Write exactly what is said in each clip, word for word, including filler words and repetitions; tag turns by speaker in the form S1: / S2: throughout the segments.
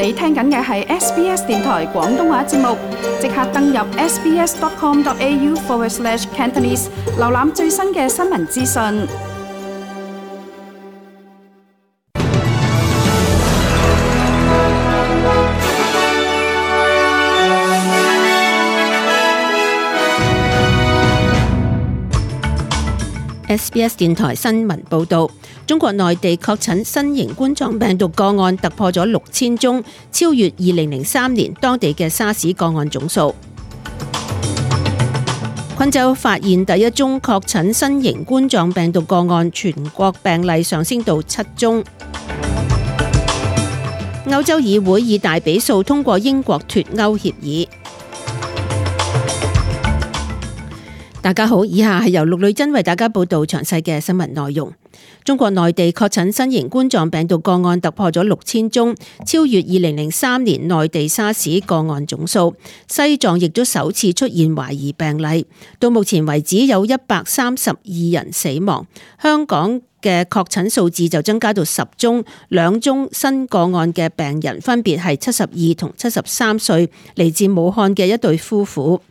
S1: 你聽緊嘅係 S B S 電台廣東話節目，即刻登入 sbs.com.au forward slash Cantonese， 瀏覽最新嘅新聞資訊。
S2: S B S 電台新聞報道，中國內地確診新型冠狀病毒個案突破咗六千宗，超越二零零三年當地嘅沙士個案總數。昆州發現第一宗確診新型冠狀病毒個案，全國病例上升到七宗。歐洲議會以大比數通過英國脫歐協議。大家好，以下係由陸女真為大家報道詳細嘅新聞內容。中國內地確診新型冠狀病毒個案突破咗六千宗，超越二零零三年內地沙士個案總數。西藏亦都首次出現懷疑病例，到目前為止有一百三十二人死亡。香港嘅確診數字就增加到十宗，兩宗新個案嘅病人分別係七十二同七十三歲，嚟自武漢嘅一對夫婦。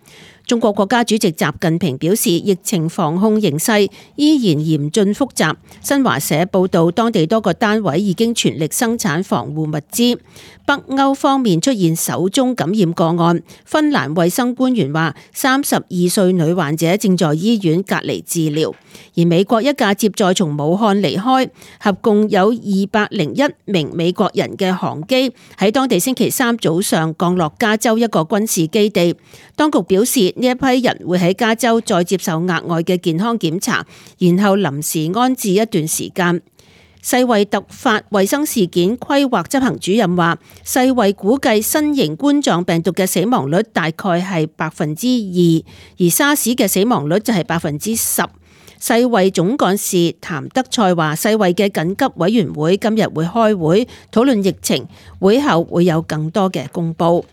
S2: 中國國家主席習近平表示，疫情防控形勢依然嚴峻複雜。新華社報道，當地多個單位已經全力生產防護物資。北歐方面出現首宗感染個案，芬蘭衛生官員話，三十二歲女患者正在醫院隔離治療。而美國一架接載從武漢離開，合共有二百零一名美國人嘅航機喺當地星期三早上降落加州一個軍事基地。當局表示，呢一批人會喺加州再接受額外嘅健康檢查，然後臨時安置一段時間。世衛突發衛生事件規劃執行主任話，世衛估計新型冠狀病毒嘅死亡率大概係百分之二，而沙士嘅死亡率就係百分之十。世衛總幹事譚德塞話，世衛嘅緊急委員會今日會開會討論疫情，會後會有更多嘅公佈。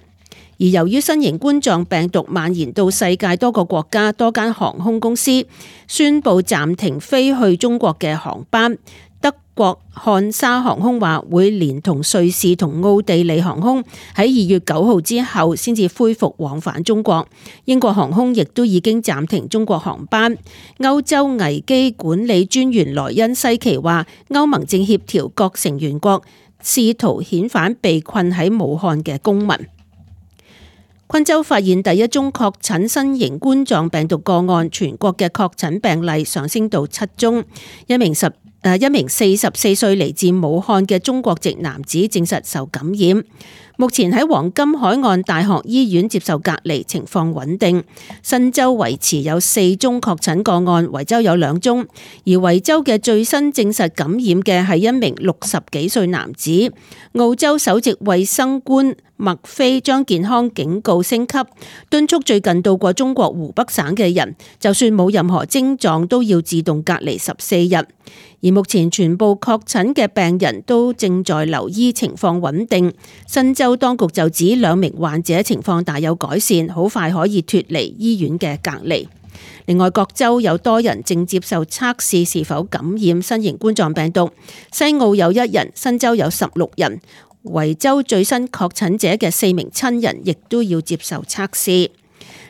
S2: 而由於新型冠狀病毒蔓延到世界多個國家，多間航空公司宣布暫停飛去中國嘅航班。德國漢莎航空話會連同瑞士同奧地利航空喺二月九號之後先至恢復往返中國。英國航空亦都已經暫停中國航班。歐洲危機管理專員萊恩西奇話，歐盟正協調各成員國，試圖遣返被困喺武漢嘅公民。昆州發現第一宗確診新型冠狀病毒個案，全國嘅確診病例上升到七宗。一名十誒一名四十四歲嚟自武漢嘅中國籍男子證實受感染，目前喺黃金海岸大學醫院接受隔離，情況穩定。新州維持有四宗確診個案，維州有兩宗，而維州嘅最新證實感染嘅係一名六十幾歲男子。澳洲首席衛生官麥菲將健康警告升級，敦促最近到過中國湖北省嘅人，就算冇任何症狀都要自動隔離十四日。而目前全部確診嘅病人都正在留醫，情況穩定。新州當局就指兩名患者情況大有改善，好快可以脫離醫院嘅隔離。另外，各州有多人正接受測試是否感染新型冠狀病毒，西澳有一人，新州有十六人。維州最新確診者嘅四名親人亦都要接受測試。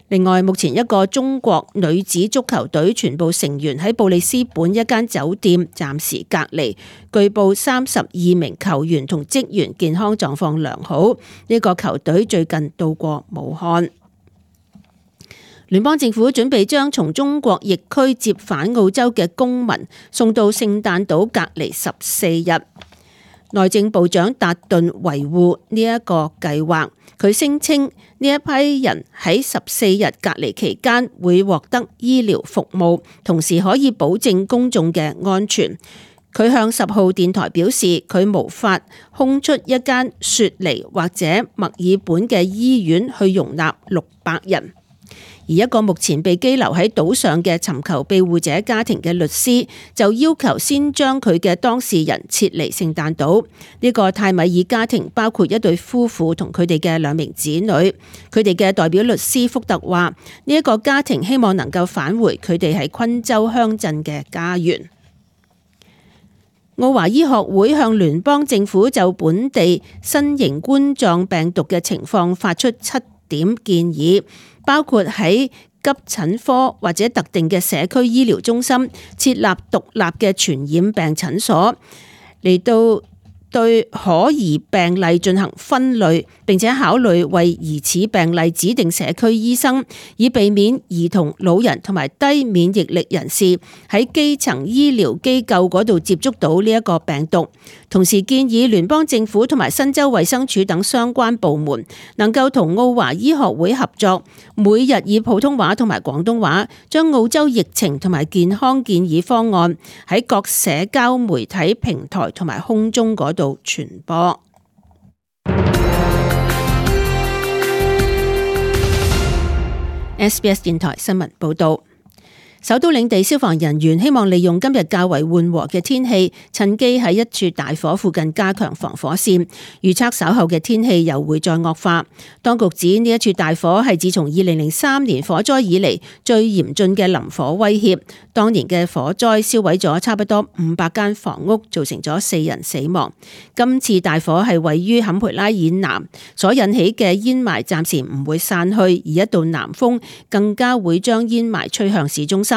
S2: 另外，目前一個中國女子足球隊全部成員喺布里斯本一間酒店暫時隔離，據報三十二名球員同職員健康狀況良好。呢個球隊最近到過武漢。聯邦政府準備將從中國疫區接返澳洲嘅公民送到聖誕島隔離十四日。內政部長達頓維護呢一個計劃，佢聲稱呢一批人喺十四日隔離期間會獲得醫療服務，同時可以保證公眾嘅安全。佢向十號電台表示，佢無法空出一間雪梨或者墨爾本嘅醫院去容納六百人。而一個目前被羈留喺島上嘅尋求庇護者家庭嘅律師就要求先將佢嘅當事人撤離聖誕島。呢個泰米爾家庭包括一對夫婦同佢哋嘅兩名子女。佢哋嘅代表律師福特話，呢一個家庭希望能夠返回佢哋喺昆州鄉鎮嘅家園。澳華醫學會向聯邦政府就本地新型冠狀病毒嘅情況發出七點建議，包括喺急診科或者特定嘅社區醫療中心設立獨立嘅傳染病診所，嚟到對可疑病例進行分類，並且考慮為疑似病例指定社區醫生，以避免兒童、老人同埋低免疫力人士喺基層醫療機構嗰度接觸到呢一個病毒。同時建議聯邦政府同埋新州衛生署等相關部門能夠同澳華醫學會合作，每日以普通話同埋廣東話將澳洲疫情同埋健康建議方案喺各社交媒體平台同埋空中嗰度傳播。S B S 電台新聞報道。首都領地消防人員希望利用今日較為緩和嘅天氣，趁機喺一處大火附近加強防火線。預測稍後嘅天氣又會再惡化。當局指呢一處大火係自從二零零三年火災以嚟最嚴峻嘅林火威脅。當年嘅火災燒毀咗差不多五百間房屋，造成咗四人死亡。今次大火係位於坎培拉以南，所引起嘅煙霾暫時唔會散去，而一道南風更加會將煙霾吹向市中心。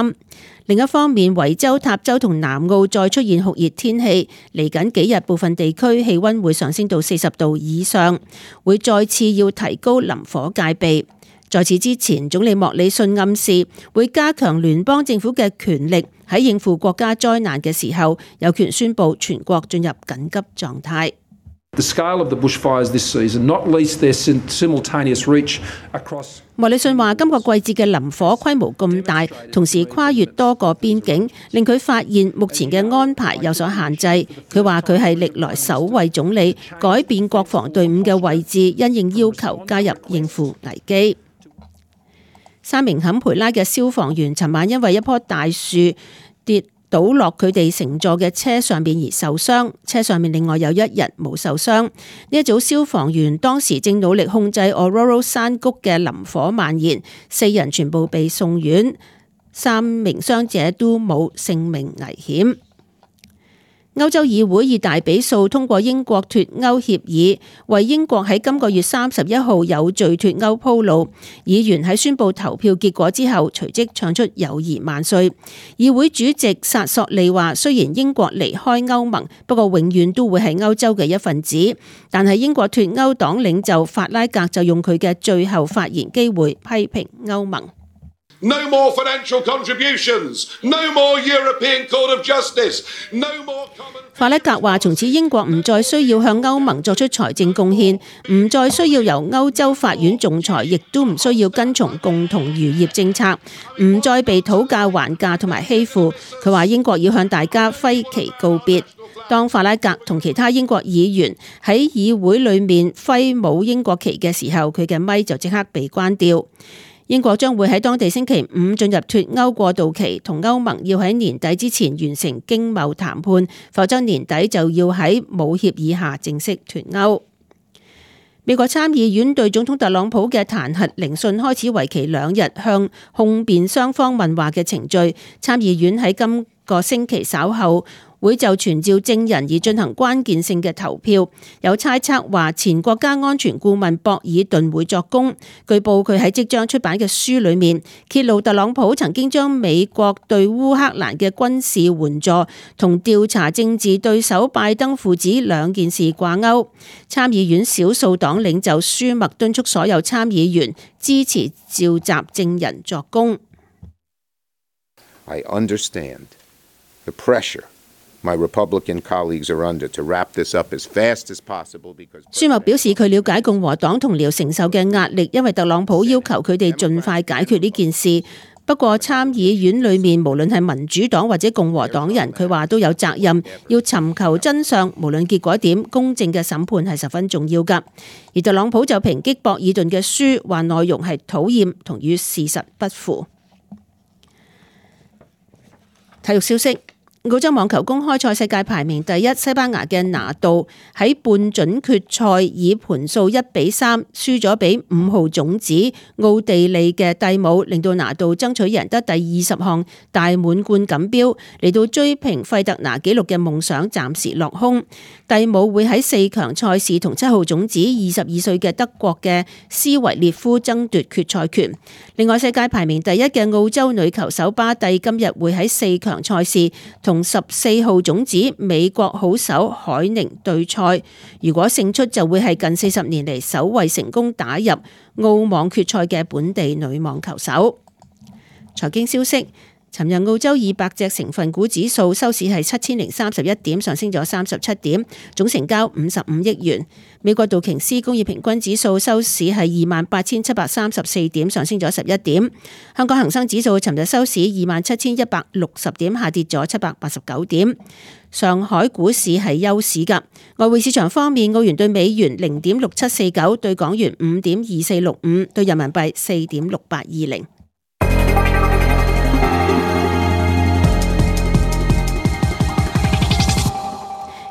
S2: 另一方面，維州、塔州同南澳再出現酷熱天氣，嚟緊幾日部分地區氣溫會上升到四十度以上，會再次要提高林火戒備。在此之前，總理莫里遜暗示會加強聯邦政府嘅權力，喺應付國家災難嘅時候，有權宣布全國進入緊急狀態。
S3: The scale of the bushfires this season, not least their simultaneous reach across.
S2: 莫里遜話：今個季節嘅林火規模咁大，同時跨越多個邊境，令佢發現目前嘅安排有所限制。佢話佢係歷來首位總理改變國防隊伍嘅位置，因應要求加入應付危機。三名坎培拉嘅消防員尋晚因為一棵大樹跌倒落佢哋乘坐嘅車上面而受傷，車上面另外有一人冇受傷。呢一組消防員當時正努力控制 Ororo 山谷嘅林火蔓延，四人全部被送院，三名傷者都冇性命危險。歐洲議會以大比數通過英國脫歐協議，為英國喺今個月三十一號有序脫歐鋪路。議員喺宣布投票結果之後，隨即唱出友誼萬歲。議會主席薩索利話：雖然英國離開歐盟，不過永遠都會係歐洲嘅一份子。但係英國脫歐黨領袖法拉格就用佢嘅最後發言機會批評歐盟。
S4: No more financial contributions, no more European Court of Justice, no more common...
S2: 法拉格話：從此英國唔再需要向歐盟作出財政貢獻，唔再需要由歐洲法院仲裁，亦都唔需要跟從共同漁業政策，唔再被討價還價同埋欺負。佢話英國要向大家揮旗告別。當法拉格同其他英國議員喺議會裏面揮舞英國旗嘅時候，佢嘅咪就即刻被關掉。英國將會喺當地星期五進入脫歐過渡期，同歐盟要喺年底之前完成經貿談判，否則年底就要喺冇協議下正式脫歐。美國參議院對總統特朗普嘅彈劾聆訊開始為期兩日，向控辯雙方問話嘅程序。參議院喺今個星期稍後會就傳召證人而進行關鍵性嘅投票。有猜測話前國家安全顧問博爾頓會作供。據報佢喺即將出版嘅書裏面揭露特朗普曾經將美國對烏克蘭嘅軍事援助同調查政治對手拜登父子兩件事掛鈎。參議院少數黨領袖舒默敦促所有參議員支持召集證人作供。
S5: I understand the pressure my Republican colleagues are under to wrap this up as fast as possible because
S2: 舒默表示佢了解共和黨同僚承受嘅壓力，因為特朗普要求佢哋盡快解決呢件事。不過參議院裏面無論係民主黨或者共和黨人，佢話都有責任要尋求真相，無論結果點，公正嘅審判係十分重要㗎。而特朗普就抨擊博爾頓嘅書，話內容係討厭同與事實不符。體育消息。澳洲網球公開賽世界排名第一西班牙嘅拿度喺半準決賽以盤數一比三輸咗俾五號種子奧地利嘅蒂姆，令到拿度爭取贏得第二十項大滿貫錦標，嚟到追平費特拿紀錄嘅夢想暫時落空。蒂姆會喺四強賽事同七號種子二十二歲嘅德國嘅斯維列夫爭奪決賽權。另外，世界排名第一嘅澳洲女球手巴蒂今日會喺四強賽事同十四號種子美國好手海寧對賽，如果勝出就會係近四十年嚟首位成功打入澳網決賽嘅本地女網球手。財經消息。尋日澳洲二百隻成分股指數收市係七千零三十一點，上升咗三十七點，總成交五十五億元。美國道瓊斯工業平均指數收市係二萬八千七百三十四點，上升咗十一點。香港恒生指數尋日收市二萬七千一百六十點，下跌咗七百八十九點。上海股市係休市㗎。外匯市場方面，澳元對美元零點六七四九，對港元五點二四六五，對人民幣四點六八二零。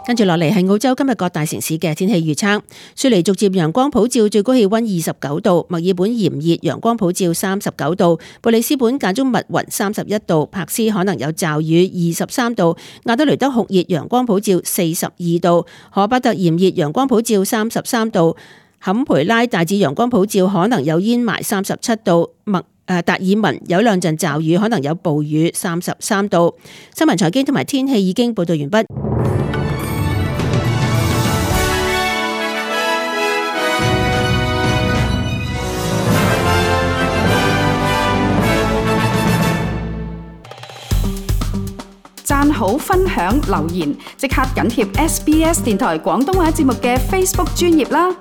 S2: 跟住落嚟係澳洲今日各大城市嘅天氣預測。雪梨逐漸陽光普照，最高氣溫二十九度；墨爾本炎熱，陽光普照三十九度；布里斯本間中密雲三十一度；柏斯可能有驟雨二十三度；亞德雷德酷熱，陽光普照四十二度；荷巴特炎熱，陽光普照三十三度；坎培拉大致陽光普照，可能有煙霾三十七度；麥誒達爾文有兩陣驟雨，可能有暴雨三十三度。新聞財經同埋天氣已經報道完畢。
S1: 讚好、分享、留言，即刻緊貼 S B S 電台廣東話節目嘅 Facebook 專頁啦！